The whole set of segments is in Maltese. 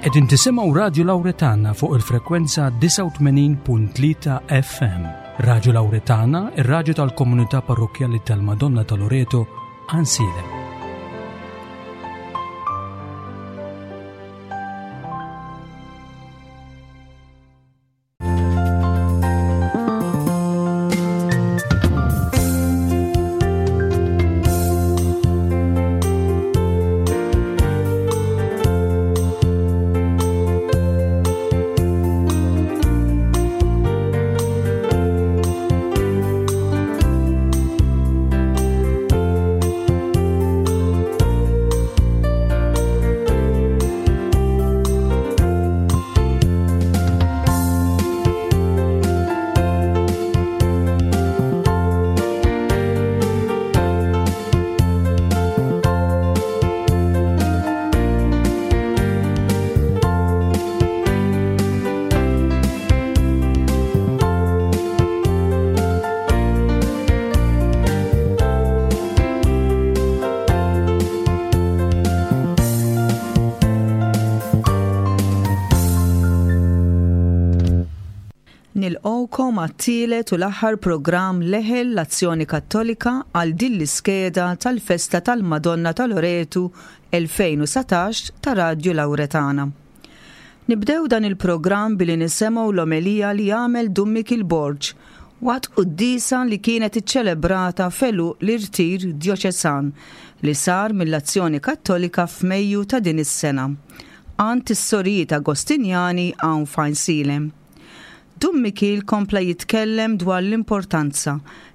Qegħdin tisimgħu Radju Lawretana fuq il-frekwenza 89.3 FM. Radju Lawretana, ir-radju tal-komunità parrokkjali tal-Madonna ta' Loreto, Għansielem. Nilqgħukom għat-tielet u l-aħħar programm Leħel l-Azzjoni Kattolika għal din l-iskeda tal-Festa tal-Madonna ta' Loretu 2019 ta' Radju Lawretana. Nibdew dan il-programm billi nisemgħu l-omelija li għamel Dun Mikiel Borg waqt quddiesa li kienet iċċelebrata f'għeluq l-irtir djoċesan li sar mill-Azzjoni Kattolika f'Mejju ta' din is-sena għand is-Sorijiet Agostinjani hawn f'Għajnsielem. Dun Mikiel kompla jitkellem dwar l-importanza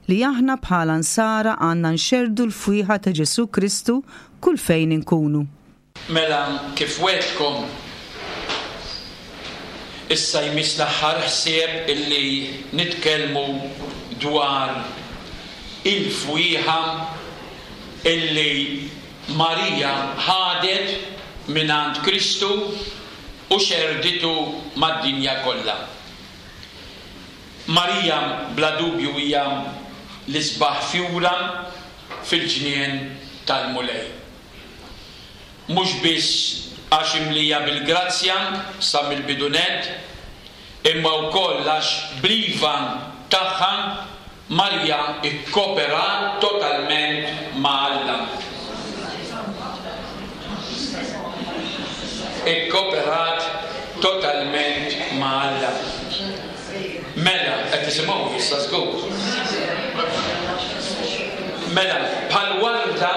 li aħna bħala Nsara għandna nxerrdu l-fwieħa ta' Ġesù Kristu kull fejn inkunu. Mela kif wegħdtkom, issa jmiss l-aħħar ħsieb illi nitkellmu dwar il-fwieħa illi Marija ħadet mingħand Kristu u xerrditu mad-dinja kollha. Marija bla dubju hija l-isbaħ fjura fil-ġnien tal-Mulej. Mhux biss għax imlija bil-grazzja sa mill-bidu nett, imma wkoll għax bl-iva tagħha Marija kkoperat totalment ma' Alla. Ikkoperat totalment ma' Alla. Mela, qed tisimgħuni issa żgur? Mela, bħal warda,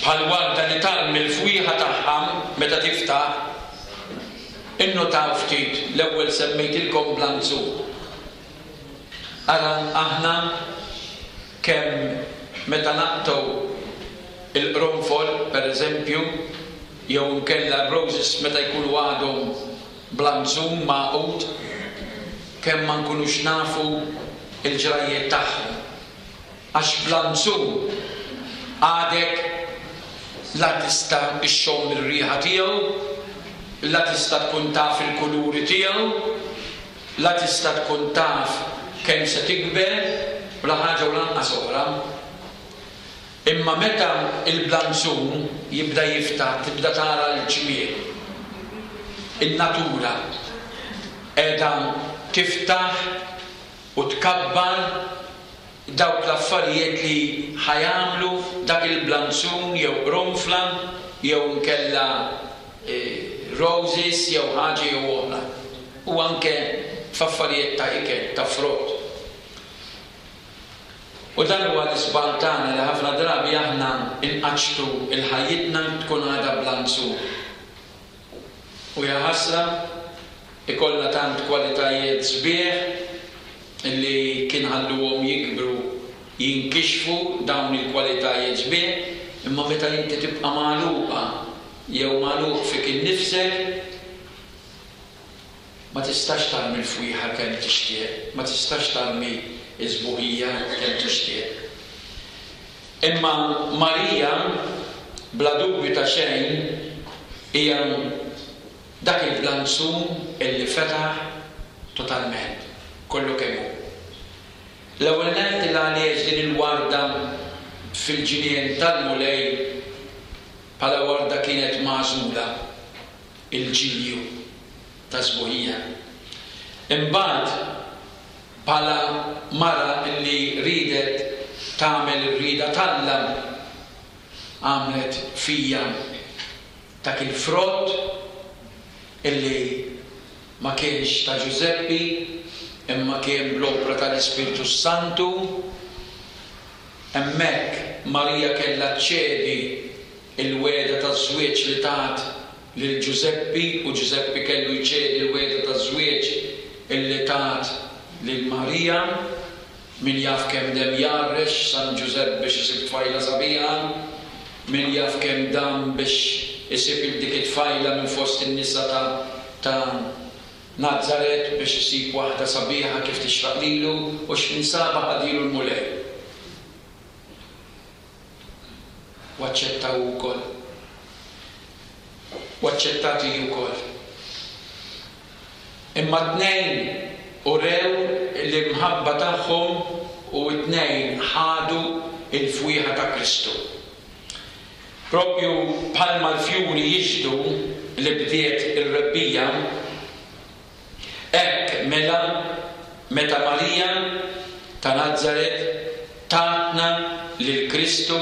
bħal warda li tarmi l-fwieħa tagħha meta tiftaħ, innotaw ftit, l-ewwel semmejtilkom blanzu. Ara aħna kemm meta naqtgħu l-qronfol, pereżempju, jew inkella r-roses meta jkunu għadhom blanzun magħqud, kemm ma nkunux nafu l-ġrajjiet tagħhom. Għax blanzun għadek la tista' xxomm ir-riħa tiegħu, la tista' tkun taf il-kuluri tiegħu, la tista' tkun taf kemm se tikber, u la ħaġa u lanqas oħra. Imma meta l-blanzun jibda jiftaħ tibda tara l-ġmiel. In-natura qiegħda tiftaħ u tkabbar dawk l-affarijiet li ħa jagħmlu dak il-blanzun jew qronfla jew inkella roses jew ħaġa jew oħra. U anke f'affarijiet ta' ikel, ta' frott. U dan huwa l-iżball tagħna li ħafna drabi aħna nqaċċtu l-ħajjitna tkun għadha blanzun. U jaħasra, ikollna tant kwalitajiet sbieħ li kien ħalluhom jikbru, jinkixfu dawn il-kwalitajiet sbieħ, imma meta inti tibqa' magħluqa jew magħluq fik innifsek, ma tistax tarmi l-fwieħa kemm tixtieq, ma tistax tarmi s-sbuħija kemm tixtieq. Imma Marija, bla dubju ta' xejn, hija dak il-blanzun illi fetaħ totalment, kollu kemm hu. L-ewwel nett il għaliex din il-warda fil-ġnien tal-Mulej bħala warda kienet magħżula. Il-ġilju tas-sbuħija. Imbagħad bħala mara li riedet tagħmel ir-rieda t'Alla għamlet fija dak il-frott illi ma kienx ta' Ġużeppi imma kien bl-opra tal-Ispirtu s-Santu. Hemmhekk Marija kellha ċċedi l-wegħda taż-żwieġ li tat lil Ġużeppi u Ġużeppi kellu jċedi l-wegħda taż-żwieġ illi tat lil Marija. Min jaf kemm dem jgħarrex San Ġużepp biex isib tfajla sabiħa, min jaf kemm dam biex isib 'il dik it-tfajla minn fost in-nisa ta' ta' Nazaret biex isib waħda sabiħa kif tixraq lilu u x'ħin sabha ħadielu l-Mulej. U aċċetta hu wkoll. U aċċettat hi wkoll. Imma t-tnejn urew l-imħabba tagħhom u t-tnejn ħadu l-fwieħa ta' Kristu. Proprju bħalma l-fjuri jixhdu li bdiet ir-rebbiegħa, hekk mela meta Marija ta' Nazaret tatna lil Kristu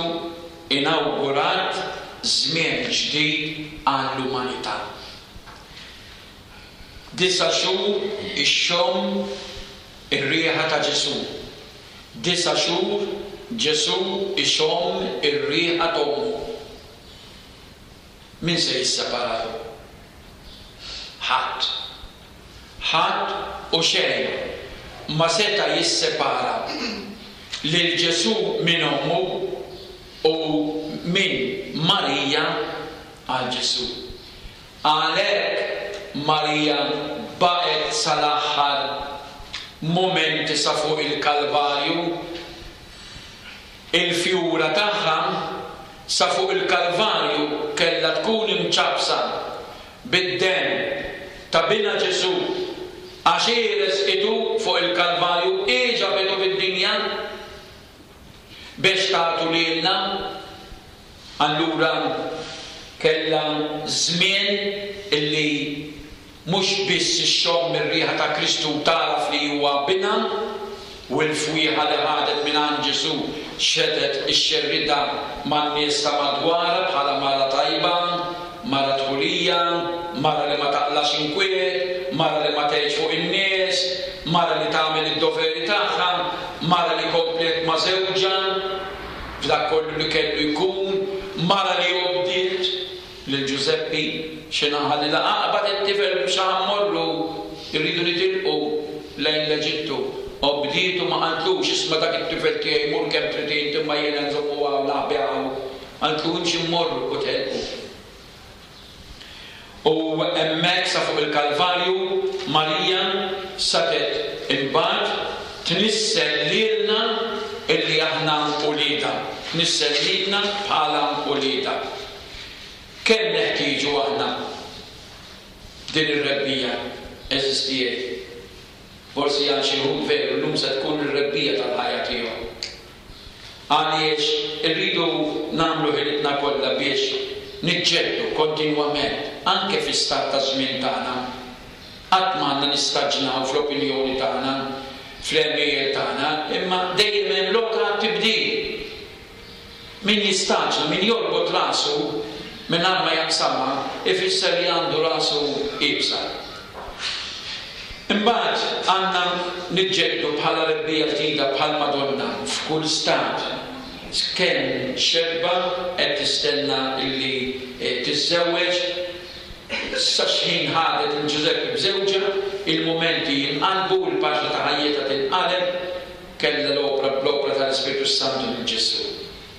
inawgurat żmien ġdid għall-umanità. Disa' xhur ixxomm ir-riħa ta' Ġesù. Disa' xhur Ġesù jxomm ir-riħa t'ommu. Min se jisseparahom? Ħadd. Ħadd u xejn ma seta' jissepara lil Ġesù minn ommu u minn Marija għal Ġesù. Għalhekk Marija baqgħet sal-aħħar mumenti sa fuq il-Kalvarju. Il-fjura tagħha sa fuq il-Kalvarju kellha tkun imċappsa bid-demm ta' Binha Ġesù, għax hi resqitu fuq il-Kalvarju, hi ġabitu fid-dinja biex tagħtu lilna. Allura kellha żmien illi mhux biss ixxomm ir-riħa ta' Kristu u tagħraf li huwa Binha, u l-fwieħa li ħadet mingħand Ġesù xedet ixxerridha man-nies ta' madwarha bħala mara tajba, mara dħulija, mara li ma taqlax inkwiet, mara li ma tgħidx fuq in-nies, mara li tagħmel id-doveri tagħha, mara li kompliet ma' żewġha. F'dak kollu li kellu jkun, mara li obdiet lil Ġużeppi, xi naħa li la aqbad it-tifel mhux ħa mmorru, irridu nitilqu lejn l-Eġittu. Obdietu ma qaltlux, isma' dak it-tifel tiegħi mur kemm trid int imma jiena nżommu hawn naħbi hawn. Qaltlu imxi mmorru u telqu. U hemmhekk sa fuq il-Kalvarju, Marija setgħet imbagħad tnissel lilna illi aħna uliedha, tnissel lilna bħala uliedha. Kemm neħtieġu aħna din ir-rebbiegħa, għeżież tiegħi? Forsi għal xi wħud veru llum se tkun ir-rebbiegħa tal-ħajja tiegħu. Għaliex irridu nagħmlu ħilitna kollha biex niġġeddu kontinwament, anke fi stat ta' żmien tagħna. Qatt ma għandna nistaġnaw fl-opinjoni tagħna, fl-għemejjel tagħna, imma dejjem hemm lok għat-tibdil. Min jistaġna, min jorbot rasu mingħajr ma jaqsamha, ifisser li għandu rasu iebsa. Imbagħad għandna niġġeddu bħala rebbiegħa ġdida bħall-Madonna f'kull stat. Kemm xebba qed tistenna li tiżżewweġ, sa x'ħin ħadet lil Ġużeppi b'żewġha, il-mumenti jinqalbu, il-paġna ta' ħajjitha tinqaleb, Kellha l-opra bl-opra tal-Ispirtu s-Santu lil Ġesù.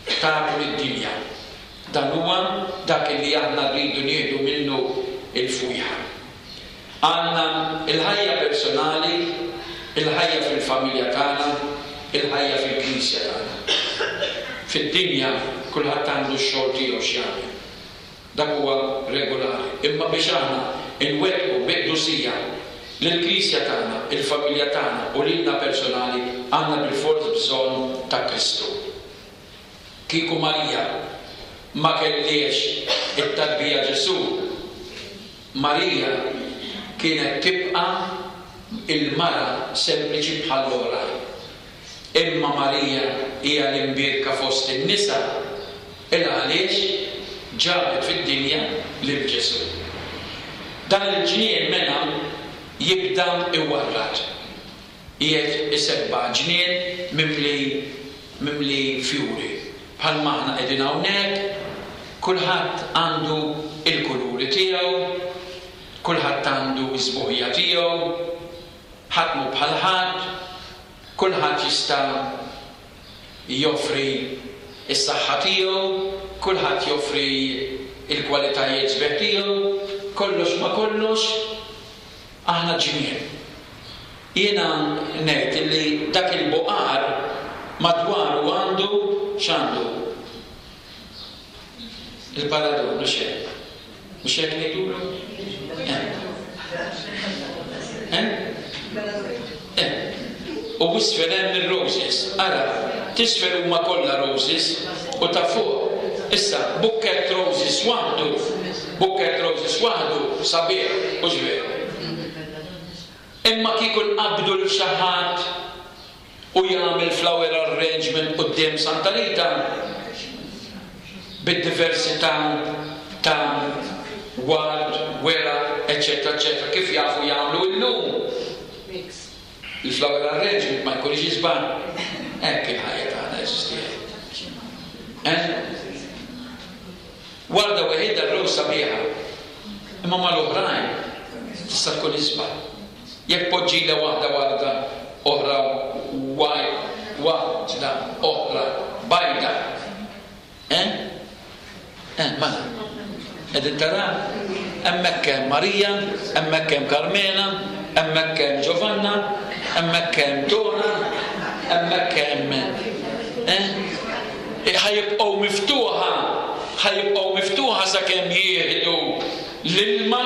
Tagħtu lid-dinja. Dan huwa dak illi aħna rridu nieħdu minnu l-fwieħa. Għandna l-ħajja personali, il-ħajja fil-familja tagħna, il-ħajja fil-Knisja tagħna. Fid-dinja kulħadd għandu x-xogħol tiegħu x'jagħmel. Dak huwa regolari. Imma biex aħna nwettqu bi qdusija lill-Knisja tagħna, il-familja tagħna u lilna personali għandna bilfors bżonn ta' Kristu. Kieku Marija ma kellhiex it-tarbija Ġesù, Marija kienet tibqa' il-mara sempliċi bħall-oħrajn. Imma Marija hija l-imbierka fost in-nisa il-għaliex ġabet fid-dinja lil Ġesù. Dan il-ġnien mela jibda iwarrad. Qiegħed isebbaħ ġnien mimli mimli fjuri. Bħalma aħna qegħdin hawnhekk, kulħadd għandu l-kuluri tiegħu, kulħadd għandu s-sbuħija tiegħu, ħadd mhu bħal ħadd, kulħadd jista' joffri s-saħħa tiegħu, kulħadd joffri l-kwalitajiet sbieħ tiegħu, kollox ma' kollox aħna ġmiel. Jiena ngħid li dak il-buqar madwaru għandu x'għandu? Il-paradun, mhux hekk? Mhux hekk ngħidulu? Eh. Eh? Eh. U isfel hemm ir-roses. Ara, t'isfel huma kollha roses u ta' fuq. Issa, bukkett roses waħdu, bukkett roses waħdu sabiħ, hux veru? Imma kieku nqabbdu lil xi ħadd u jagħmel flower arrangement quddiem Santa Rita bid-diversità ta' ward, weraq, eċċetera eċċetera kif jafu jagħmlu illum, il-flower arrangement ma jkunx isbaħ? Hekk il-ħajja tagħna għeżież tiegħi. Eh? Warda weħidha r-rose sabiħa, imma mal-oħrajn tista' tkun isbaħ. Jekk tpoġġilha waħda warda oħra waħda oħra bajda. Eh? Eh, mela. Qegħdin taraw? Hemmhekk hemm Marija, hemmhekk hemm Karmena, hemmhekk hemm Giovanna, hemmhekk hemm Dora, hemmhekk hemm eh? Ħa jibqgħu miftuħa, ħa jibqgħu miftuħa sakemm jieħdu l-ilma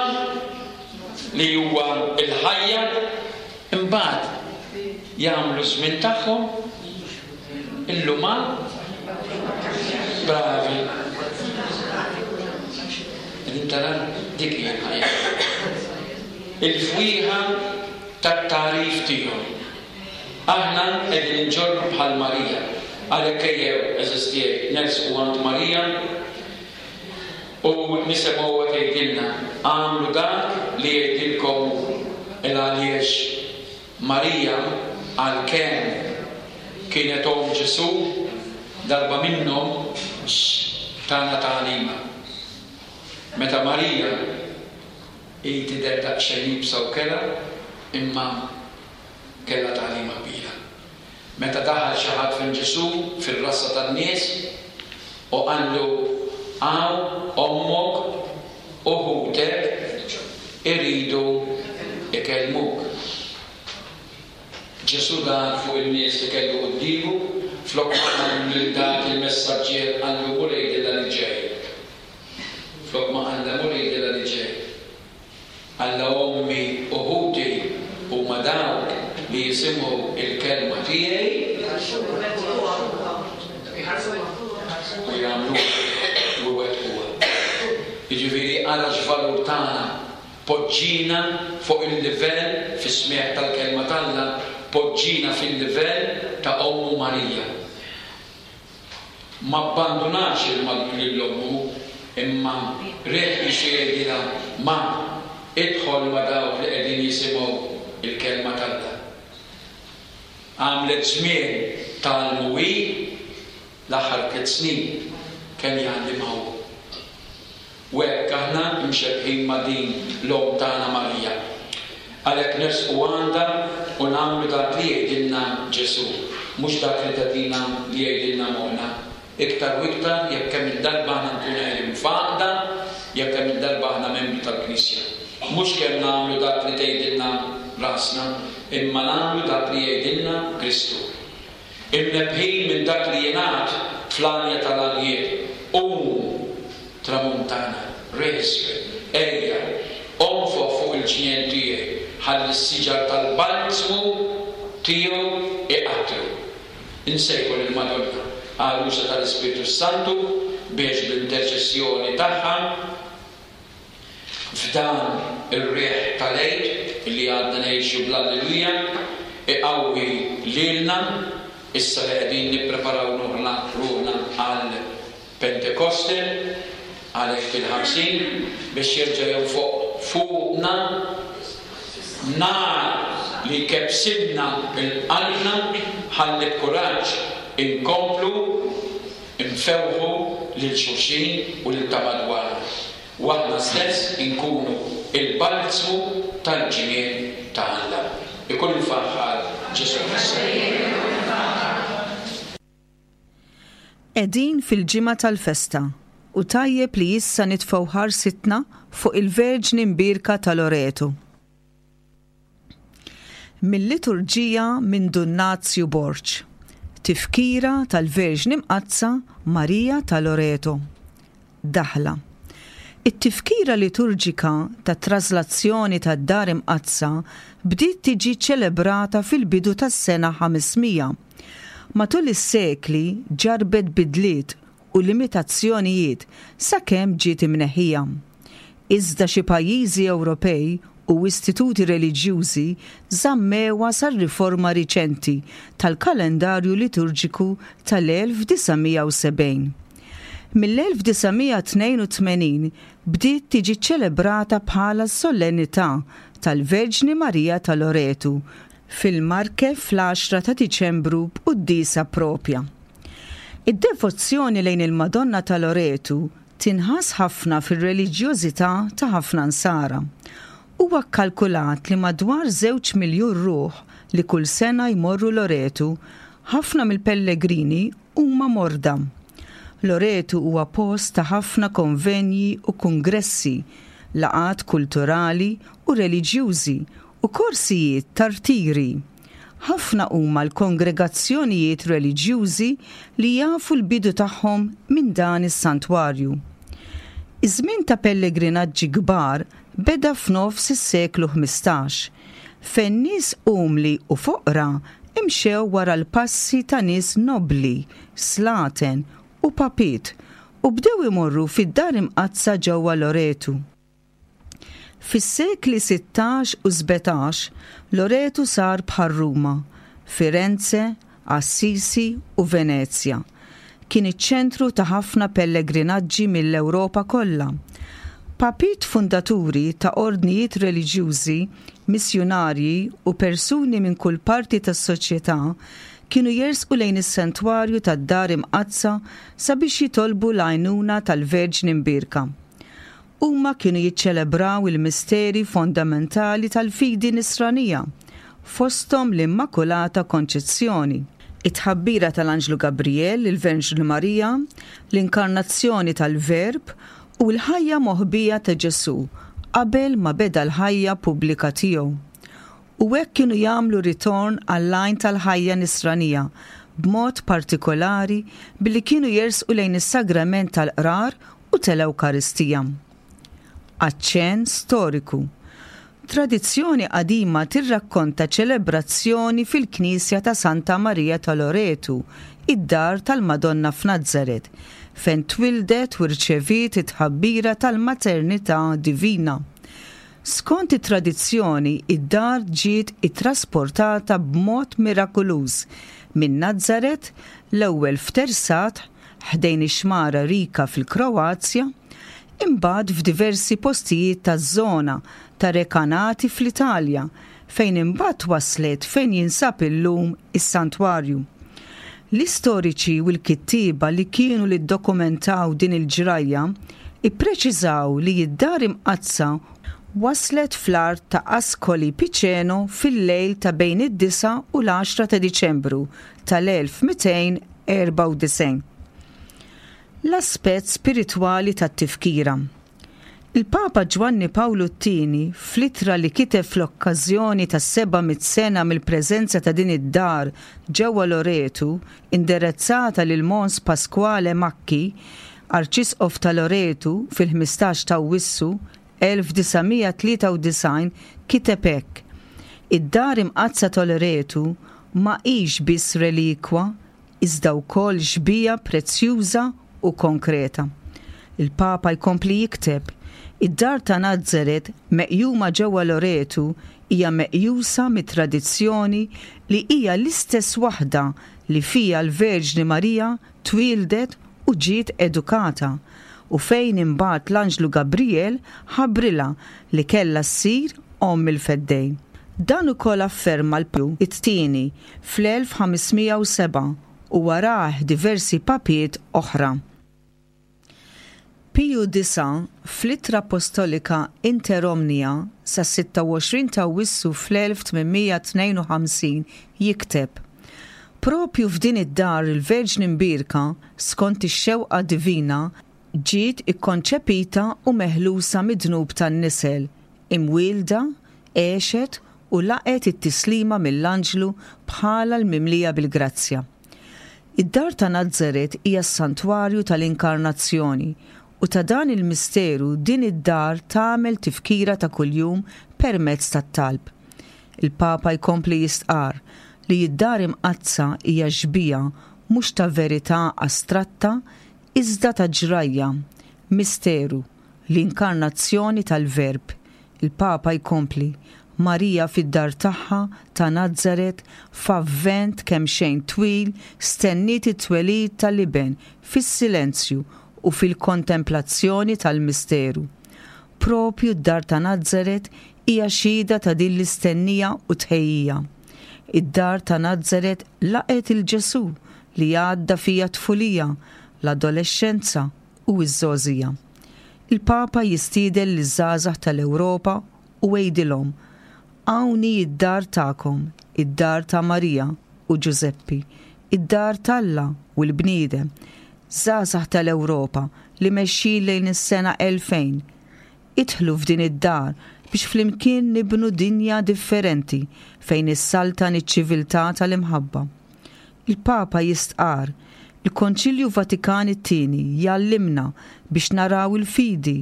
li huwa l-ħajja, imbagħad jagħmlu ż-żmien tagħhom, il-luman, bravi. Qegħdin taraw? Dik hija l-ħajja. Il-fwieħa tat-tagħrif tiegħu. Aħna qegħdin inġorru bħal Marija. Għalhekk ejjew, għeżież tiegħi, nersqu għand Marija u nisimgħuha tgħidilna, Agħmlu dak li jgħidilkom hu. Il għaliex Marija, għalkemm kienet omm Ġesù, darba minnhom tana tagħlima. Meta Marija, hi tidher daqsxejn iebsa u kerha, imma kellha tagħlima kbira. Meta daħal xi ħadd fejn Ġesù fir-rassa tan-nies u qallu, Hawn ommok u ħutek iridu jkellmuk. Ġesù dar fuq in-nies li kellu quddiemu, flok ma qal lil dak il-messaġġier qallu mur għidilha li ġej. Flok ma qallha mur għidilha li ġej. Alla ommi u ħuti huma dawk li jisimgħu l-kelma tiegħi u jagħmluha u jwettquha. Jiġifieri ara x'valur tagħna, poġġina fuq il-livell fis-smigħ tal-kelma t'Alla, poġġina fil-livell ta' ommu Marija. M'abbandunax lil ommu, imma ried qisu jgħidilha, Ma, idħol ma' dawk li qegħdin jisimgħu l-kelma t'Alla. Għamlet żmien tgħallmu hi, l-aħħar tliet snin kemm jgħallimha hu. U hekk aħna mxebbhin ma' din l-Omm tagħna Marija. Għalhekk nersqu għandha u nagħmlu dak li jgħidilna Ġesù, mhux dak li tagħtina li jgħidilna moħħna. Iktar u iktar jekk kemm-il darba aħna nkunu qegħdin f'għaqda, jekk kemm-il darba aħna membri tal-Knisja. Mhux kemm nagħmlu dak li tgħidilna rasna, imma nagħmlu dak li jgħidilna Kristu. Imnebbħin minn dak li jingħad fl-Għanja tal-Għanjiet, Qum, tramuntana, riħ isfel, ejja, onfoħ fuq il-ġnien tiegħi, ħalli s-siġar tal-balzmu tiegħu iqattru. Insejħu lill-Madonna, Għarusa tal-Ispirtu s-Santu, biex bl-interċessjoni tagħha, f'dan ir-riħ tal-Għid li għadna ngħixu bl-Alleluja, iqawwi lilna issa li qegħdin nippreparaw ruħna ruħna għal Pentekoste, għal Għid il-Ħamsin, biex jerġa' jonfoq fuqna nar li jkebbsilna 'l qalbna ħalli b'kuraġġ inkomplu nfewħu lil xulxin u lil ta' madwarna, u aħna stess inkunu l-balzmu tal-ġnien ta' Alla. Ikun imfaħħar Ġesù Kristu. Qegħdin fil-ġimgħa tal-festa u tajjeb li issa nitfgħu ħarsitna fuq il-Verġni Mbierka ta' Loreto. Mil-liturġija minn Dun Nazju Borg, Tifkira tal-Verġni Mqaddsa Marija ta' Loreto. Daħla. It-tifkira liturġika tat-traslazzjoni tad-Dar Imqaddsa bdiet tiġi ċċelebrata fil-bidu tas-sena 500. Matul is-sekli ġarrbet bidliet u limitazzjonijiet sakemm ġiet imneħħija. Iżda xi pajjiżi Ewropej u istituti reliġjużi żammewha sar-riforma riċenti tal-kalendarju liturġiku tal-1970. Mill-1982 bdiet tiġi ċċelebrata bħala s-Solennità tal-Verġni Marija ta' Loretu fil-Marche fl-għaxra ta' Diċembru b'quddiesa proprja. Id-devozzjoni lejn il-Madonna ta' Loretu tinħass ħafna fir-reliġjożità ta' ħafna Nsara. Huwa kkalkulat li madwar żewġ miljun ruħ li kull sena jmorru Loretu, ħafna mill-pellegrini huma morda. Loretu huwa post ta' ħafna konvenji u kungressi, laqgħat kulturali u reliġjużi u korsijiet ta' rtiri. Ħafna huma l-kongregazzjonijiet reliġjużi li jafu l-bidu tagħhom minn dan is-santwarju. Iż-żmien ta' pellegrinaġġi kbar beda f'nofs is-seklu 15, fejn nies umli u foqra mxew wara l-passi ta' nies nobbli, slaten u papiet u bdew imorru fid-Dar Imqaddsa ġewwa Loretu. Fis-sekli 16 u 17, Loretu sar bħal Ruma, Firenze, Assisi u Venezja. Kien iċ-ċentru ta' ħafna pellegrinaġġi mill-Ewropa kollha. Papiet fundaturi ta' ordnijiet reliġjużi, missjunarji u persuni minn kull parti tas-soċjetà kienu jersqu lejn is-santwarju tad-Dar Imqaddsa sabiex jitolbu l-għajnuna tal-Verġni Mbierka. Huma kienu jiċċelebraw il-misteri fondamentali tal-fidi Nisranija, fosthom l-Immakulata Konċezzjoni, it-tħabbira tal-Anġlu Gabrijel lill-Verġni Marija, l-Inkarnazzjoni tal-Verb u l-ħajja moħbija ta' Ġesù qabel ma beda l-ħajja pubblika tiegħu. U hekk kienu jagħmlu ritorn għall-għajn tal-ħajja Nisranija, b'mod partikolari billi kienu jersqu lejn is-Sagrament tal-Qrar u tal-Ewkaristija. Aċċenn storiku. Tradizzjoni qadima tirrakkonta ċelebrazzjoni fil-knisja ta' Santa Marija ta' Loretu, id-dar tal-Madonna f'Nazaret, fejn twieldet u rċeviet it-tħabbira tal-maternità divina. Skont it-tradizzjoni, id-dar ġiet ittrasportata b'mod mirakuluż minn Nazaret, l-ewwel f'Tersat, ħdejn ix-xmara Rika fil-Kroazja, imbagħad f'diversi postijiet taż-żona ta' Recanati fl-Italja, fejn imbagħad waslet fejn jinsab illum is-santwarju. L-istoriċi u l-kittieba li kienu li ddokumentaw din il-ġrajja ippreċiżaw li d-Dar Imqaddsa waslet fl-art ta' Ascoli Piceno fil-lejl ta' bejn id-disgħa u l-għaxra ta' Diċembru tal-1294. L-aspett spiritwali tat-tifkira. Il-Papa Ġwanni Pawlu t-Tieni, fl-ittra li kiteb fl-okkażjoni tas-700 sena mill-preżenza ta' din id-dar ġewwa Loretu, inderezzata lil Mons Pasquale Macchi, Arċisqof ta' Loretu fil-15 ta' Awwissu 1993 kiteb hekk, Id-Dar Imqaddsa ta' Loretu ma hix biss relikwa iżda wkoll xbieha prezzjuża u konkreta. Il-Papa jkompli jikteb, Id-dar ta' Nazaret, meqjuma ġewwa Loretu, hija meqjusa mit-tradizzjoni li hija l-istess waħda li fiha l-Verġni Marija twieldet u ġiet edukata, u fejn imbagħad l-anġlu Gabrijel ħabbrilha li kellha ssir omm il-Feddej. Dan ukoll afferma l-Pju it-Tieni fl-1507 u warah diversi papiet oħra. Piju Disgħa, fl-Ittra Appostolika Inter Omnia sas-26 t'Awwissu fl-1852 jikteb, Proprju f'din id-dar il-Verġni Mbierka, skont ix-xewqa divina, ġiet ikkonċepita u meħlusa mid-dnub tan-nisel, imwielda, għexet u laqgħet it-tislima mill-anġlu bħala l-mimlija bil-grazzja. Id-dar ta' Nazaret hija s-santwarju tal-Inkarnazzjoni u ta' dan il-misteru din id-dar tagħmel tifkira ta' kuljum permezz tat-talb. Il-Papa jkompli jistqarr li d-Dar Imqaddsa hija xbieha mhux ta' verità astratta iżda ta' ġrajja, misteru, l-inkarnazzjoni tal-Verb. Il-Papa jkompli, Marija fid-dar tagħha ta' Nazaret f'avvent kemxejn twil stenniet it-twelid tal-Iben fis-silenzju u fil-kontemplazzjoni tal-misteru. Proprju d-dar ta' Nazaret hija xhieda ta' din l-istennija u tħejjija. Id-dar ta' Nazaret laqgħet 'il Ġesù li għadda fiha t-tfulija, l-adolexxenza u ż-żgħożija. Il-Papa jistieden liż-żgħażagħ tal-Ewropa u għidilhom, Hawn hi d-dar tagħkom, id-dar ta' Marija u Ġużeppi, id-dar t'Alla u l-bniedem. Żgħażagħ tal-Ewropa li mexjin lejn is-sena 2000, idħlu f'din id-dar biex flimkien nibnu dinja differenti fejn issaltan iċ-ċiviltà tal-imħabba. Il-Papa jistqarr, Il-Konċilju Vatikan it-Tieni jgħallimna biex naraw il-fidi,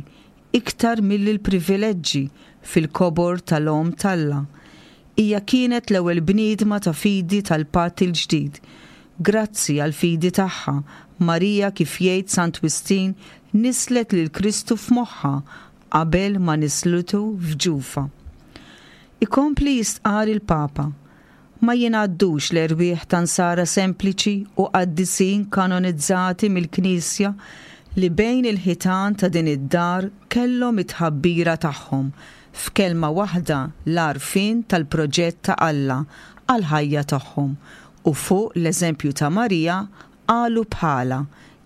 iktar milli l-privileġġi, fil-kobor tal-Omm t'Alla. Hija kienet l-ewwel bniedma ta' fidi tal-Patt il-Ġdid. Grazzi għall-fidi tagħha, Marija kif jgħid Sant Wistin nisslet lil Kristu f'moħħha qabel ma nisslitu f'ġufha. Ikompli jistqarr il-Papa, Ma jingħaddux l-erwieħ ta' Nsara sempliċi u qaddisin kanonizzati mill-Knisja li bejn il-ħitan ta' din id-dar kellhom it-tħabbira tagħhom, f'kelma waħda l-għarfien tal-proġett ta' Alla għall-ħajja tagħhom u fuq l-eżempju ta' Marija qalu bħalha,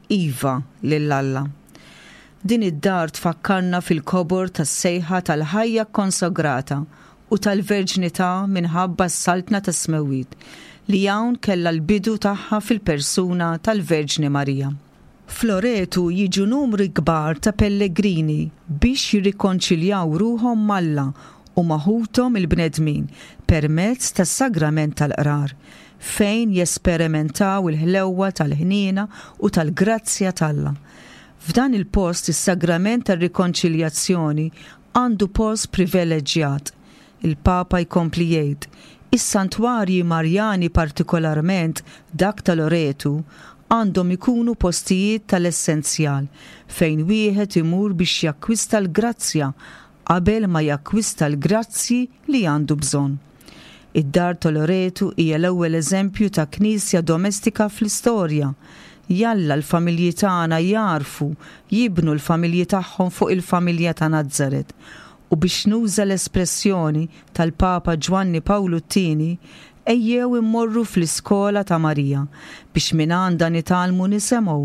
Iva lil Alla. Din id-dar tfakkarna fil-kobor tas-sejħa tal-ħajja kkonsagrata u tal-verġnità minħabba s-Saltna tas-Smewwiet, li hawn kellha l-bidu tagħha fil-persuna tal-Verġni Marija. F'Loretu jiġu numri kbar ta' pellegrini biex jirrikonċiljaw ruħhom m'Alla u ma' ħuthom il-bnedmin permezz tas-Sagrament tal-Qrar, fejn jesperimentaw il-ħlewwa tal-ħniena u tal-grazzja t'Alla. F'dan il-post is-Sagrament tar-Rikonċiljazzjoni għandu post priveleġġjat. Il-Papa jkompli jgħid, Is-santwarji Marjani partikolarment dak ta' Loretu għandhom ikunu postijiet tal-essenzjal fejn wieħed imur biex jakkwista l-grazzja qabel ma jakkwista l-grazzji li għandu bżonn. Id-dar ta' Loretu hija l-ewwel eżempju ta' knisja domestika fl-istorja. Jalla l-familji tagħna jagħrfu jibnu l-familji tagħhom fuq il-familja ta' Nazaret. U biex nuża l-espressjoni tal-Papa Ġwanni Pawlu t-Tieni, ejjew immorru fl-iskola ta' Marija biex mingħandha nitgħallmu nisemgħu,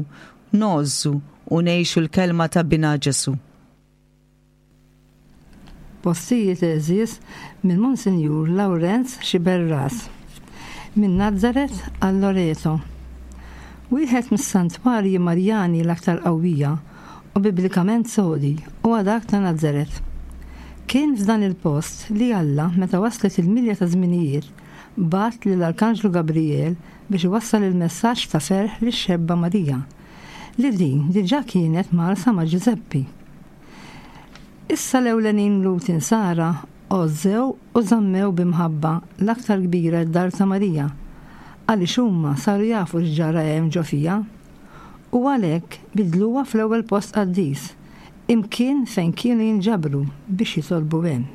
ngħożżu u ngħixu l-kelma ta' Binha Ġesù. Postijiet għeżież minn Monsinjur Lawrenz Sciberras. Minn Nazaret għal Loreto. Wieħed mis-santwarji Marjani l-aktar qawwija u biblikament sodi huwa dak ta' Nazaret. Kien f'dan il-post li Alla, meta waslet il-milja taż-żminijiet, bagħat lill-Arkanġlu Gabrijel biex iwassal il-messaġġ ta' ferħ lix-xebba Marija, li din diġà kienet mgħarrsa ma' Ġużeppi. Issa l-ewlenin Lhud Insara għożżew u żammew bi mħabba l-aktar kbira d-dar ta' Marija, għaliex huma saru jafu x'ġara hemm ġo fiha. U għalhekk bidluha fl-ewwel post qaddis, Imkien fejn kienu jinġabru biex jitolbu hemm.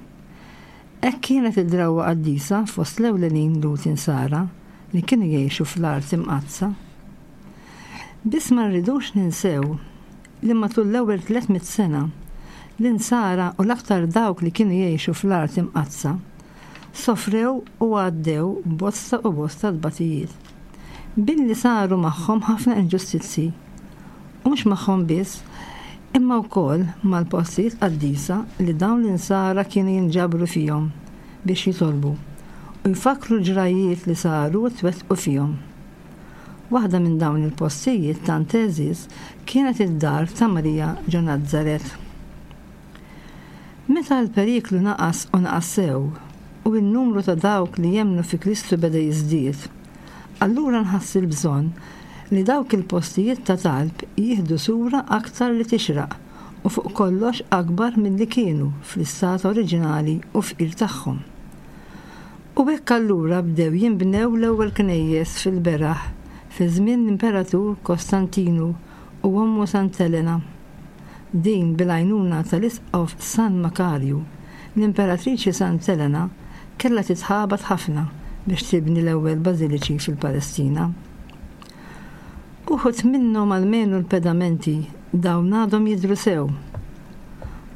Hekk kienet id-drawwa qaddisa fost l-ewlenin Lhud Insara li kienu jgħixu fl-Art Imqaddsa. Biss ma rridux ninsew li matul l-ewwel 300 sena, l-Insara u l-aktar dawk li kienu jgħixu fl-Art Imqaddsa, sofrew u għaddew bosta u bosta tbatijiet. Billi saru magħhom ħafna inġustizzji. U mhux magħhom biss, imma wkoll mal-postijiet qaddisa li dawn l-Insara kienu jinġabru fihom biex jitolbu u jfakkru l-ġrajjiet li saru u twettqu fihom. Waħda minn dawn il-postijiet tant għeżież kienet id-dar ta' Marija ġo Nazaret. Meta l-periklu naqas u naqas sew, u n-numru ta' dawk li jemmnu fi Kristu beda jiżdied, allura nħass il-bżonn li dawk il-postijiet ta' talb jieħdu sura aktar li tixraq u fuq kollox akbar milli kienu fl-istat oriġinali u fqir tagħhom. U hekk allura bdew jinbnew l-ewwel knejjes fil-beraħ fi żmien l-Imperatur Kostantinu u ommu Sant'Elena. Din bil-għajnuna tal-Isqof San Makarju, l-Imperatriċi Sant'Elena kellha titħabat ħafna biex tibni l-ewwel bażiliċi fil-Palestina. Uħud minnhom almenu l-pedamenti dawn għadhom jidhru sew.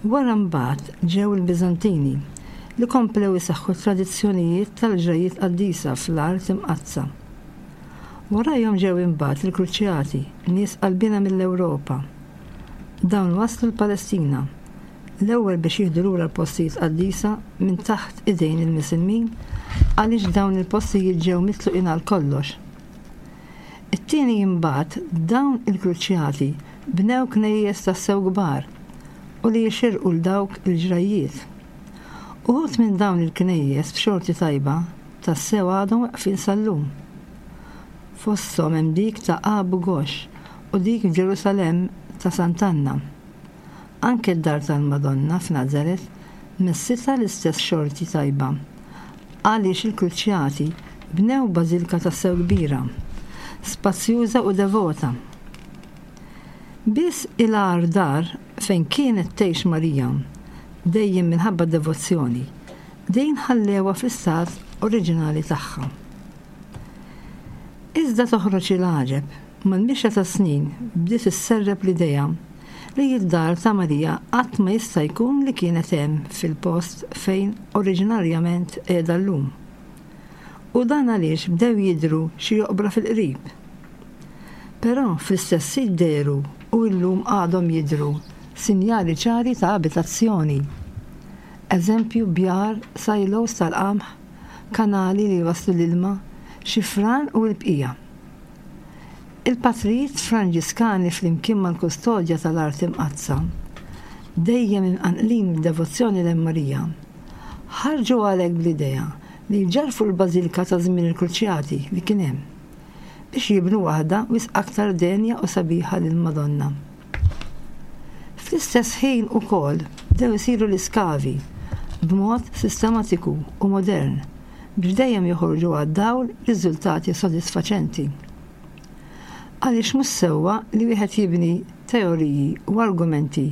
Wara mbagħad ġew il-Biżantini li komplew isaħħu t-tradizzjonijiet tal-ġrajjiet qaddisa fl-Art Imqaddsa. Warajhom ġew imbagħad il-Kruċjati, nies qalbiena mill-Ewropa. Dawn waslu l-Palestina, l-ewwel biex jieħdu lura l-postijiet qaddisa minn taħt idejn il-Misilmin għaliex dawn il-postijiet ġew mitluqin għal kollox. It-tieni imbagħad dawn il-Kruċjati bnew knejjes tassew kbar u li jixirqu 'l dawk il-ġrajjiet. Uħud minn dawn il-knejjes b'xorti tajba tassew għadhom weqfin sal-lum. Fosthom hemm dik ta' Abu Ghosh u dik f'Ġerusalemm ta' Sant'Anna. Anke d-dar tal-Madonna f'Nazaret messitha l-istess xorti tajba għaliex il-Kruċjati bnew bażilka tassew kbira, spazjuża u devota. Biss il-agħar dar fejn kienet tgħix Marija, dejjem minħabba d-devozzjoni, Din ħallewha fl-istat oriġinali tagħha. Iżda toħroġ il-għaġeb, mal-mixja tas-snin bdiet isserrep l-idea li d-dar ta' Marija qatt ma jista' jkun li kienet hemm fil-post fejn oriġinarjament qiegħda llum. U dan għaliex bdew jidhru xi oqbra fil-qrib. Però fl-istess sit dehru u illum għadhom jidhru sinjali ċari ta' abitazzjoni. Eżempju, bjar, silos tal-qamħ, kanali li jwasslu l-ilma, xi fran u l-bqija. Il-patrijiet Franġiskani flimkien mal-kustodja tal-Art Imqaddsa, dejjem imqanqlin mid-devozzjoni lejn Marija, ħarġu għalhekk bl-idea li jġarrfu l-bażilka ta' żmien il-Kruċjati li kien hemm, biex jibnu waħda wisq aktar denja u sabiħa lill-Madonna. Fl-istess ħin ukoll bdew isiru l-iskavi b'mod sistematiku u modern biex dejjem joħorġu għad-dawl riżultati sodisfaċenti. Għaliex mhux sewwa li wieħed jibni teoriji u argumenti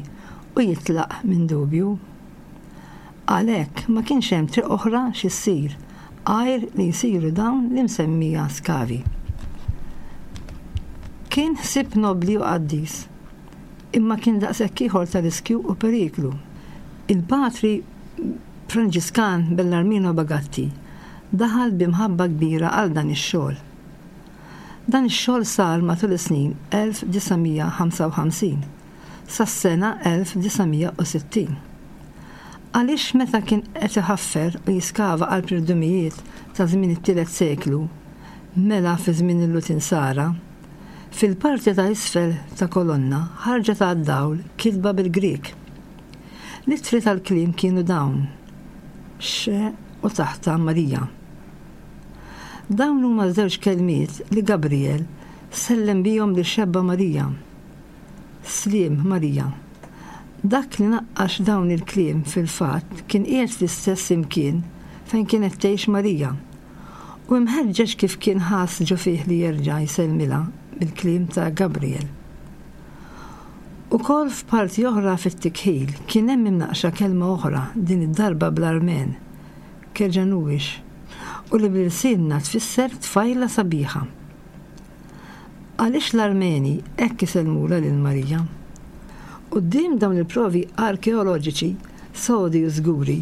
u jitlaq minn dubju. Għalhekk ma kienx hemm triq oħra xi ssir għajr li jsiru dawn l-imsemmija skavi. Kien ħsieb nobbli u qaddis, imma kien daqshekk ieħor ta' riskju u periklu. Il-Patri Franġiskan Bellarmino Bagatti daħal bi mħabba kbira għal dan ix-xogħol. Dan ix-xogħol sar matul is-snin 1955. sas-sena 1960. Għaliex meta kien qed iħaffer u jiskava qalb l-irdumijiet ta' żmien it-tielet seklu, mela fi żmien il-Lhud Insara, fil-parti ta' isfel ta' kolonna ħarġet għad-dawl kitba bil-Grieg. L-ittri tal-kliem kienu dawn, Xe u taħtha Marija. Dawn huma żewġ kelmiet li Gabriel sellem bihom lix-xebba Marija. Sliem, Marija. Dak li naqqax dawn il-kliem fil-fatt kien qiegħed fl-istess imkien fejn kienet tgħix Marija, u imħeġġeġ kif kien ħass ġo fih li jerġa' jsellmilha bil-kliem ta' Gabriel. Ukoll f'parti oħra fit-tikħil kien hemm imnaqqxa kelma oħra, din id-darba bl-Armen, Kejanuish, u li b'ilsienna tfisser tfajla sabiħa. Għaliex l-Armeni hekk isellmulha lil Marija? Quddiem dawn il-provi arkeoloġiċi sodi u żguri,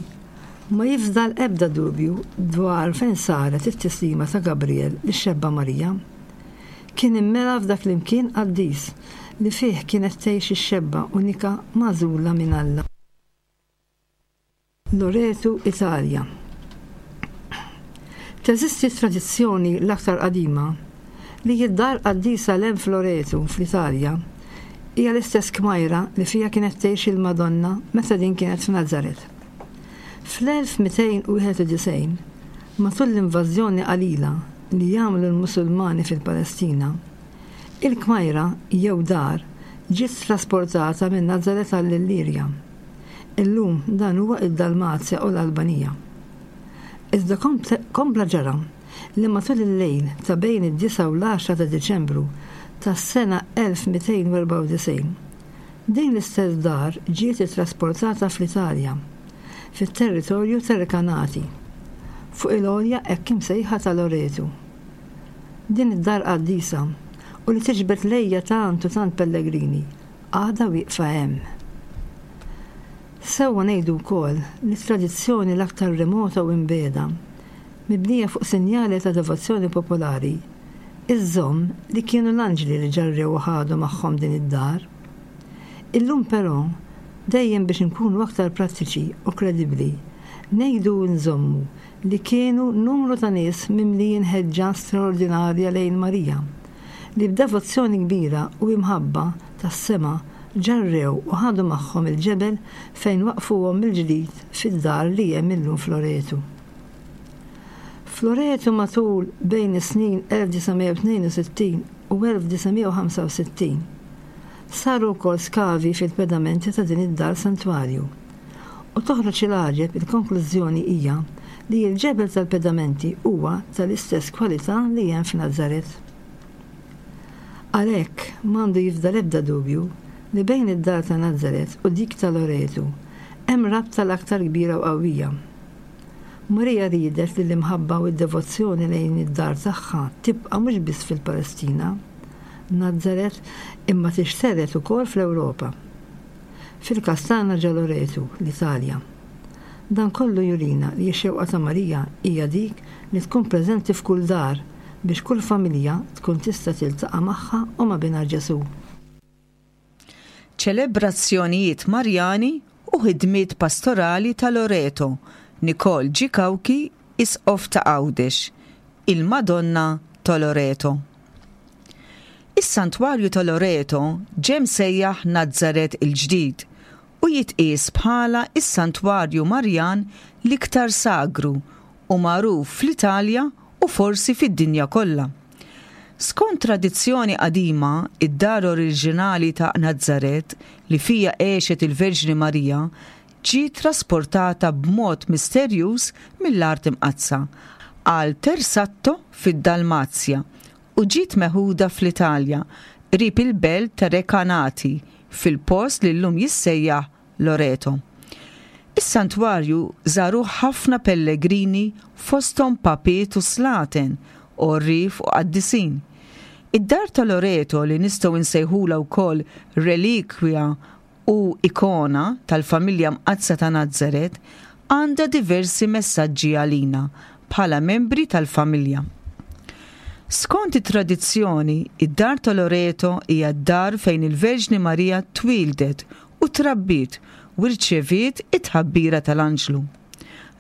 ma jifdal ebda dubju dwar fejn saret it-tislima ta' Gabriel lix-xebba Marija. Kien immela f'dak l-imkien qaddis li fih kienet tgħix ix-xebba unika magħżula minn Alla. Loreto, Italja. Teżisti tradizzjoni l-aktar qadima li d-dar qaddisa 'l hemm f'Loreto, fl-Italja, hija l-istess kmajra li fiha kienet tgħix il-Madonna meta din kienet f'Nazaret. Fl-1291, matul l-invażjoni qalila li għamlu l-Musulmani fil-Palestina, il-kmajra, jew dar, ġiet trasportata minn Nazaret għall-Illirja. Illum dan huwa d-Dalmazja u l-Albanija. Iżda kompla ġara li matul il-lejl ta' bejn id-disgħa u l-għaxra ta' Diċembru tas-sena 1294, din l-istess dar ġiet ittrasportata fl-Italja, fit-territorju ta' Recanati, fuq il-għolja hekk imsejħa ta' Loreto. Din id-dar qaddisa, u li tiġbed lejha tant u tant pellegrini, għadha wieqfa hemm. Sewwa ngħidu wkoll li t-tradizzjoni l-aktar remota u imbiegħda, mibnija fuq sinjali ta' devozzjoni popolari, iżżomm li kienu l-anġli li ġarrew u ħadu magħhom din id-dar. Illum però, dejjem biex inkunu aktar prattiċi u kredibbli, ngħidu u nżommu li kienu numru ta' nies mimlijin ħeġġa straordinarja lejn Marija, li b'devozzjoni kbira u imħabba tas-sema ġarrew u ħadu magħhom il-ġebel fejn waqqfuhom mill-ġdid fid-dar li hemm illum f'Loretu. F'Loretu matul bejn is-snin 1962 u 1965 saru wkoll skavi fil-pedamenti ta' din id-dar santwarju u toħroġ il-għaġeb il-konklużjoni hija li l-ġebel tal-pedamenti huwa tal-istess kwalità li hemm f'Nazaret. Għalhekk, m'għandu jifdal ebda dubju li bejn id-dar ta' Nazaret u dik ta' Loretu hemm rabta l-aktar kbira u qawwija. Marija riedet li l-imħabba u d-devozzjoni lejn id-dar tagħha tibqa' mhux biss fil-Palestina, Nazaret, imma tixtered ukoll fl-Ewropa. Fil-każ tagħna ġa Loretu, l-Italja. Dan kollu jurina li x-xewqa ta' Marija hija dik li tkun preżenti f'kull dar biex kull familja tkun tista' tiltaqa' magħha u ma' Binha Ġesù. Ċelebrazzjonijiet Marjani u ħidmiet pastorali ta' Loreto, Nicole G. Cauchi, Isqof ta' Għawdex, Il-Madonna ta' Loreto. Is-Santwarju ta' Loreto ġe msejjaħ Nazaret il-Ġdid u jitqies bħala s-santwarju Marjan l-iktar sagru u magħruf fl-Italja u forsi fid-dinja kollha. Skont tradizzjoni qadima, id-dar oriġinali ta' Nazaret li fiha għexet il-Verġni Marija ġiet trasportata b'mod misterjuż mill-Art Imqaddsa għal Tersatto fid-Dalmazja u ġiet meħuda fl-Italja, qrib il-belt ta' Recanati, fil-post li llum jissejjaħ Loreto. Is-santwarju żaruh ħafna pellegrini fosthom papiet u slaten, għorrief u qaddisin. Id-dar ta' Loreto li nistgħu nsejħulha wkoll relikwja u ikona tal-Familja Mqaddsa ta' Nazaret għandha diversi messaġġi għalina bħala membri tal-familja. Skont it-tradizzjoni, id-dar ta' Loreto hija d-dar fejn il-Verġni Marija twieldet u trabbiet u rċeviet it-tħabbira tal-anġlu.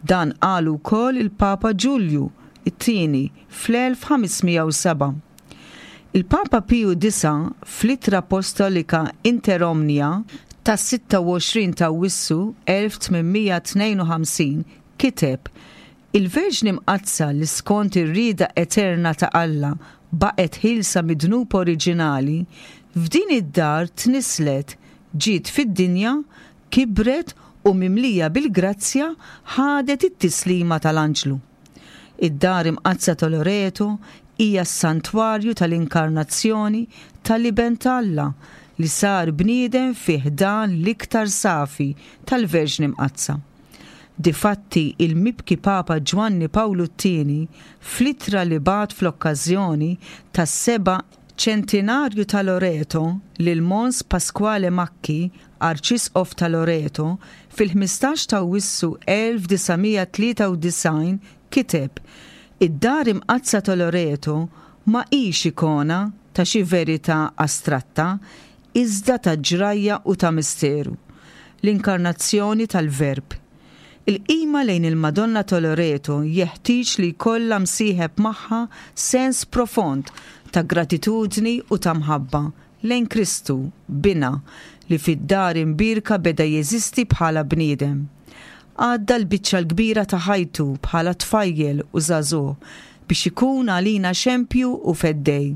Dan qalu wkoll il-Papa Ġulju t-Tieni fl-1507. Il-Papa Piju Disa' fl-Ittra Appostolika Inter Omnia tas-26 t'Awwissu 1852 kiteb, Il-Verġni Mqaddsa li skont ir-rieda eterna ta' Alla baqgħet ħielsa mid-dnub oriġinali, f'din id-dar tnisslet, ġiet fid-dinja, kibret u mimlija bil-grazzja ħadet it-tislima tal-anġlu. Id-Dar Imqaddsa ta' Loreto hija s-santwarju tal-Inkarnazzjoni tal-Iben ta' Alla. li sar bniedem fi ħdan l-iktar safi tal-Verġni Mqaddsa. Difatti il-mibki Papa Ġwanni Pawlu t-Tieni fl-ittra li bagħat fl-okkażjoni tas-seba' Ċentinarju ta' Loreto lil Mons Pasquale Macchi, Arċisqof ta' Loreto, fil-15 ta' Awwissu 1993 kiteb, Id-Dar Imqaddsa ta' Loreto ma hix ikona ta' xi verità astratta iżda ta' ġrajja u ta' misteru, l-inkarnazzjoni tal-Verb. Il-qima lejn il-Madonna ta' Loreto jeħtieġ li jkollha msieħeb magħha sens profond ta' gratitudni u ta' mħabba lejn Kristu, Binha, li fid-dar imbierka beda jeżisti bħala bniedem. Għadda l-biċċa l-kbira ta' ħajtu bħala tfajjel u żagħżugħ biex ikun għalina xempju u feddej.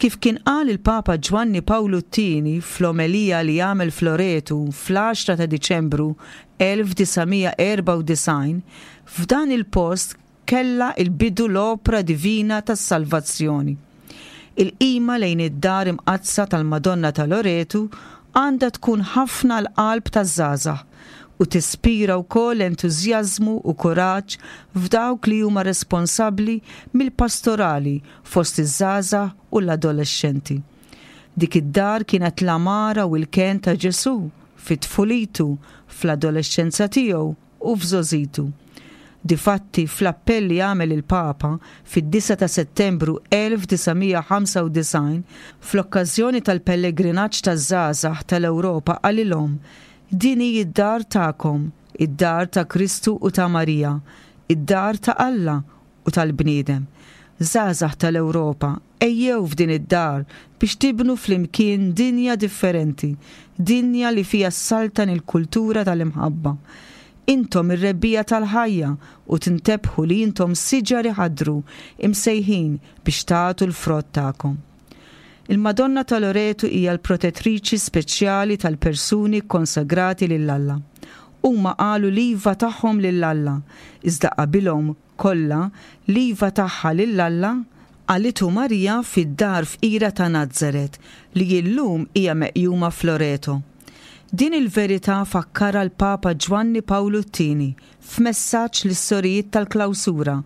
Kif kien qal il-Papa Ġwanni Pawlu t-Tieni fl-omelija li għamel f'Loretu fl-għaxra ta' Diċembru 1994, f'dan il-post kellha l-bidu l-opra divina tas-salvazzjoni. Il-qima lejn id-Dar Imqaddsa tal-Madonna ta' Loretu għandha tkun ħafna għall-qalb taż-żgħażagħ u tispira wkoll entużjażmu u kuraġġ f'dawk li huma responsabbli mill-pastorali fost iż-żgħażagħ u l-adolexxenti. Dik id-dar kienet l-għamara u l-kenn ta' Ġesù fi tfulitu, fl-adolexxenza tiegħu u f'żgħożitu. Difatti, fl-appell li għamel il-Papa fid-disgħa ta' Settembru 1995 fl-okkażjoni tal-pellegrinaġġ taż-żgħażagħ tal-Ewropa qalilhom, Din hi d-dar tagħkom, id-dar ta' Kristu u ta' Marija, id-dar ta' Alla u tal-bniedem. Żgħażagħ tal-Ewropa, ejjew f'din id-dar biex tibnu flimkien dinja differenti, dinja li fiha ssaltan il-kultura tal-imħabba. Intom ir-rebbiegħa tal-ħajja u tintebħu li intom siġar iħaddru, imsejħin biex tagħtu l-frott tagħkom. Il-Madonna ta' Loretu hija l-protettriċi speċjali tal-persuni kkonsagrati lil Alla. Huma qalu l-iva tagħhom lil Alla, iżda qabilhom kollha, l-iva tagħha lil Alla, qalitu Marija fid-dar fqira ta' Nazaret li illum hija meqjuma f'Loreto. Din il-verità fakkarha l-Papa Ġwanni Pawlu t-Tieni f'messaġġ lis-sorijiet tal-klawsura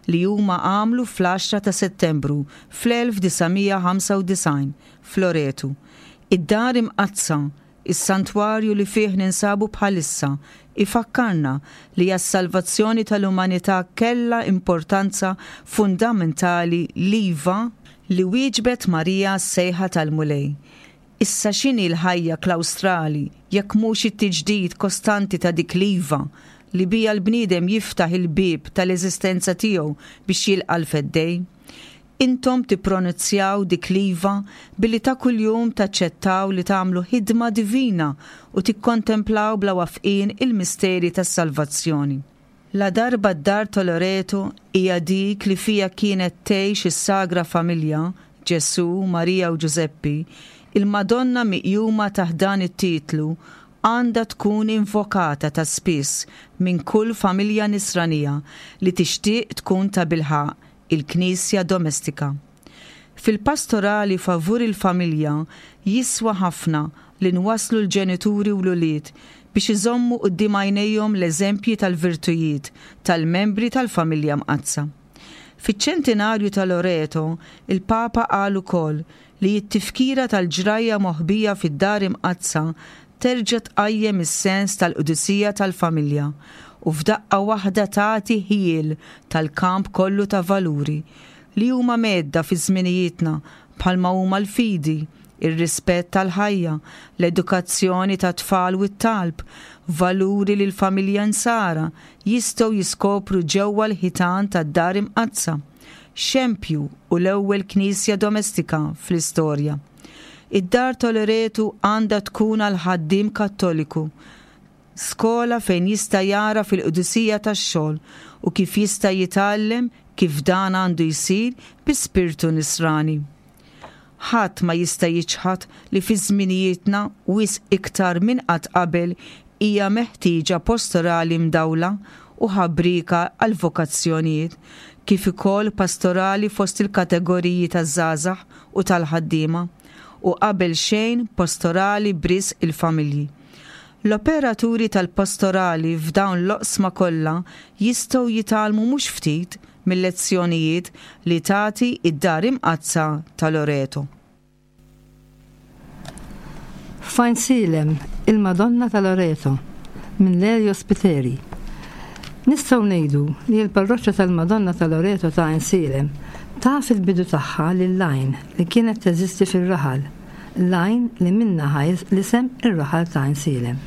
li huma għamlu fl-għaxra ta' Settembru fl-1995 f'Loretu. Id-Dar Imqaddsa, is-santwarju li fih ninsabu bħalissa, ifakkarna li għas-salvazzjoni tal-umanità kellha importanza fundamentali l-iva li wieġbet Marija għas-sejħa tal-Mulej. Issa x'inhi l-ħajja klawstrali jekk mhux it-tiġdid kostanti ta' dik l-iva li biha l-bniedem jiftaħ il-bieb tal-eżistenza tiegħu biex jilqa' l-Feddej? Intom tippronunzjaw dik l-iva billi ta' kuljum taċċettaw li tagħmlu ħidma divina u tikkontemplaw bla wafqien il-misteri tas-salvazzjoni. Ladarba d-dar ta' Loreto hija dik li fiha kienet tgħix is-Sagra Familja, Ġesù, Marija u Ġużeppi, il-Madonna miqjuma taħt dan it-titlu għandha tkun invokata ta' spiss minn kull familja Nisranija li tixtieq tkun tabilħaqq il-Knisja domestika. Fil-pastorali favur il-familja jiswa ħafna li nwasslu l-ġenituri u l-ulied biex iżommu quddiem għajnejhom l-eżempji tal-virtujiet tal-membri tal-Familja Mqaddsa. Fiċ-ċentinarju ta' Loreto, il-Papa qal ukoll li t-tifkira tal-ġrajja moħbija fid-Dar Imqaddsa terġa' tqajjem is-sens tal-qdusija tal-familja u f'daqqa waħda tagħti ħjiel tal-kamp kollu ta' valuri li huma mhedda fi żminijietna bħalma huma l-fidi, ir-rispett għall-ħajja, l-edukazzjoni tat-tfal u t-talb, valuri li l-familja Nsara jistgħu jiskopru ġewwa l-ħitan tad-Dar Imqaddsa, xempju u l-ewwel knisja domestika fl-istorja. Id-Dar ta' Loretu għandha tkun għall-ħaddiem Kattoliku skola fejn jista' jagħraf il-qdusija tax-xogħol u kif jista' jitgħallem kif dan għandu jsir bi spirtu Nisrani. Ħadd ma jista' jiċħad li fi żminijietna wisq iktar minn qatt qabel hija meħtieġa postorali mdawla u ħabrieka għall-vokazzjonijiet, kif ukoll pastorali fost il-kategoriji taż-żgħażagħ u tal-ħaddiema. u qabel xejn pastorali b'risq il-familji. L-operaturi tal-pastorali f'dawn l-oqsma kollha jistgħu jitgħallmu mhux ftit mil-lezzjonijiet li tagħti d-Dar Imqaddsa ta' Loreto. F'Għajnsielem, il-Madonna ta' Loreto, minn Lelio Spiteri. Nistgħu ngħidu li l-parroċċa tal-Madonna ta' Loreto ta' Għajnsielem taf il-bidu tagħha lill-għajn li kienet teżisti fir-raħal, l-għajn li minnha ħa l-isem ir-raħal ta' Għajnsielem.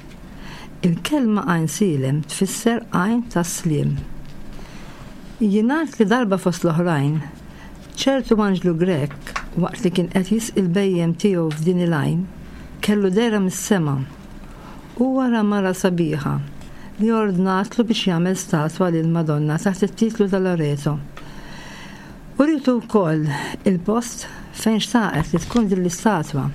Il-kelma Għajnsielem tfisser għajn tas-sliem. Jingħad li darba fost l-oħrajn, ċertu anġlu Grek, waqt li kien qed jisqi l-bhejjem tiegħu f'din il-għajn, kellu dehra mis-sema. Huwa ra mara sabiħa li ordnatlu biex jagħmel statwa lill-Madonna taħt it-titlu ta' Loreto. Urietu wkoll il-post fejn xtaqet li tkun din l-istatwa.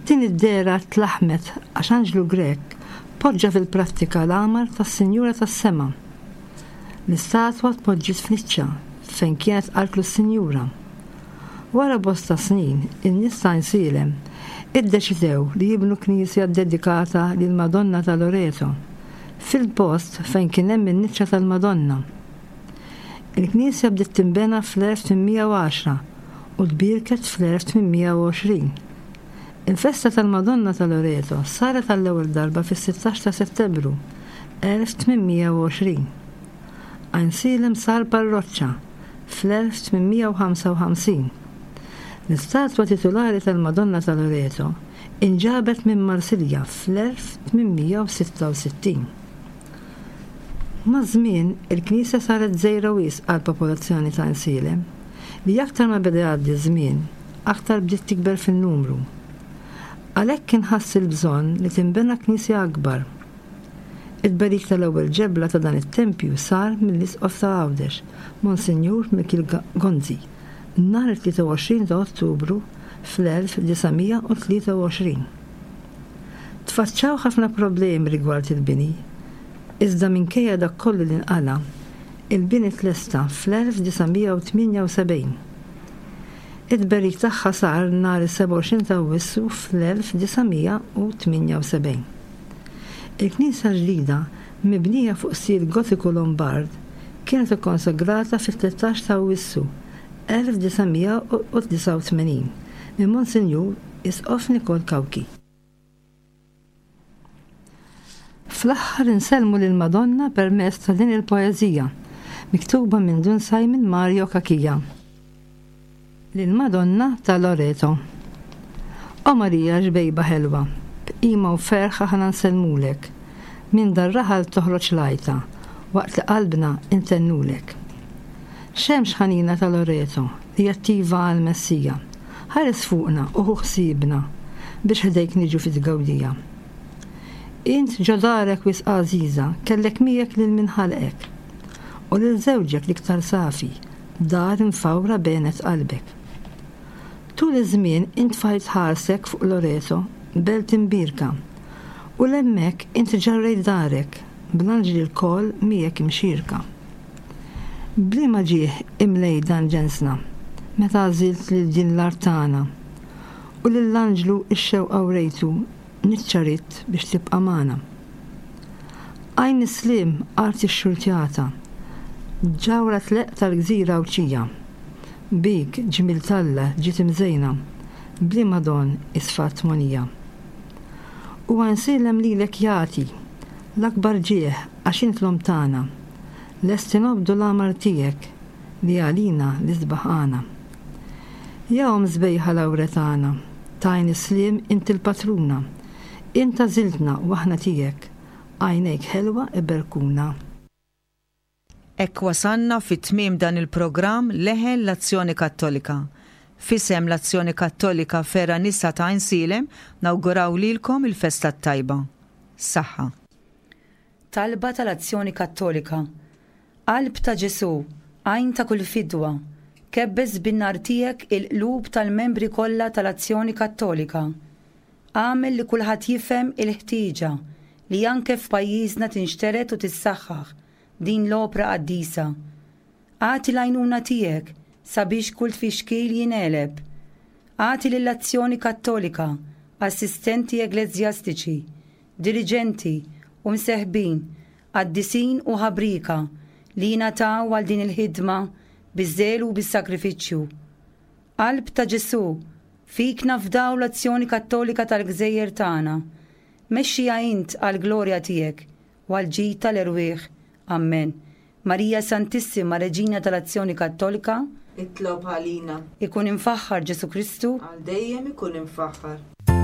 Din id-dehra tlaħħmet għax anġlu Grek poġġa fil-prattika l-għamar tas-Sinjura tas-Sema. L-istatwa tpoġġiet f'niċċa fejn kienet qaltlu s-Sinjura. Wara bosta snin, in-nies ta' Għajnsielem iddeċidew li jibnu knisja ddedikata lill-Madonna ta' Loreto fil-post fejn kien hemm in-niċċa tal-Madonna. Il-knisja bdiet tinbena fl-1810 u tbierket fl-1820. Il-festa tal-Madonna ta' Loreto saret għall-ewwel darba fis-16 ta' Settembru 1820. Għajnsielem sar parroċċa fl-1855. L-istatwa titulari tal-Madonna ta' Loreto inġabet minn Marsilja fl-1866. Maż-żmien, il-knisja saret żgħira wisq għall-popolazzjoni ta' Għajnsielem, li aktar ma beda jgħaddi ż-żmien, aktar bdiet tikber fin-numru. Għalhekk inħass il-bżonn li tinbena knisja akbar. It-tberik tal-ewwel ġebla ta' dan it-tempju sar mill-Isqof ta' Għawdex, Monsinjur Mikiel Gonzi, nhar it-23 ta' Ottubru fl-1923. Tfaċċaw ħafna problemi rigward il-bini, iżda minkejja dak kollu li nqala', il-bini tlesta fl-1978. It-tberik tagħha sar nhar is-27 ta' Awwissu fl-1978. Il-knisja l-ġdida, mibnija fuq stil Gotiku Lombard, kienet ikkonsagrata fit-13 ta' Awwissu 1989 minn Monsinjur Isqof Nikol Cauchi. Fl-aħħar insellmu lill-Madonna permezz ta' din il-poeżija, miktuba minn Dun Simon Mario Cachia. Lill-Madonna ta' Loreto. O Marija xbejba ħelwa, b'qima u ferħ aħna nsellmulek. Minn dar-raħal toħroġ l-għajta, waqt li qalbna intennulek. Xemx ħanina ta' Loreto, li attiva għall-Messija, ħares fuqna u ħu ħsiebna, biex ħdejk niġu fit-tgawdija. Int ġo darek wisq għażiża, kellek miegħek lil min ħalqek, u lil żewġek l-iktar safi, Dar imfawra benet qalbek. Tul iż-żmien int tfajt ħarsek fuq Loreto, belt imbierka, u 'l hemmhekk int ġarrejt darek, bl-anġli lkoll miegħek imxierka. B'liema ġieħ imlejt dan ġensna, meta għażilt lil din l-art tagħna, u lill-anġlu x-xewqa wrejtu Niċċa ridt biex tibqa' magħna. Għajn is-sliem art ixxurtjata, Ġawhra tleqq tal-gżira Għawdxija. Bik, ġmiel t'Alla, ġiet imżejna, B'liema don hi sfat mogħnija. U Għajnsielem lilek jagħti L-akbar ġieħ għax int l-omm tagħna. Lesti nobdu l-għamar tiegħek Li għalina l-isbaħ għana. Ja Omm sbejħa Lawretana, T'għajn is-sliem int il-patruna, Int għażiltna u aħna tiegħek, Għajnejk ħelwa iberkuna. Hekk wasalna fi tmiem dan il-programm Leħen l-Azzjoni Kattolika. F'isem l-Azzjoni Kattolika Fergħa Nisa ta' Għajnsielem nawguraw lilkom il-festa t-tajba. Saħħa. Talba tal-Azzjoni Kattolika Qalb ta' Ġesù, għajn ta' kull fidwa, kebbes bin-nar tiegħek il-qlub tal-membri kollha tal-Azzjoni Kattolika. Agħmel li kulħadd jifhem il-ħtieġa li anke f'pajjiżna tinxtered u tissaħħaħ din l-opra qaddisa. Agħti l-għajnuna tiegħek sabiex kull tfixkil jingħeleb. Agħti lill-Azzjoni Kattolika assistenti eggleżjastiċi, diriġenti u mseħbin, qaddisin u ħabrieka li jingħataw għal din il-ħidma biż-żelu u bis-sagrifiċċju. Qalb ta' Ġesù, fik nafdaw l-Azzjoni Kattolika tal-gżejjer tagħna. Mexxiha int għall-glorja tiegħek u għall-ġid tal-erwieħ. Ammen. Marija Santissima, Reġina tal-Azzjoni Kattolika, Itlob għalina. Ikun imfaħħar Ġesù Kristu. Għal dejjem ikun imfaħħar.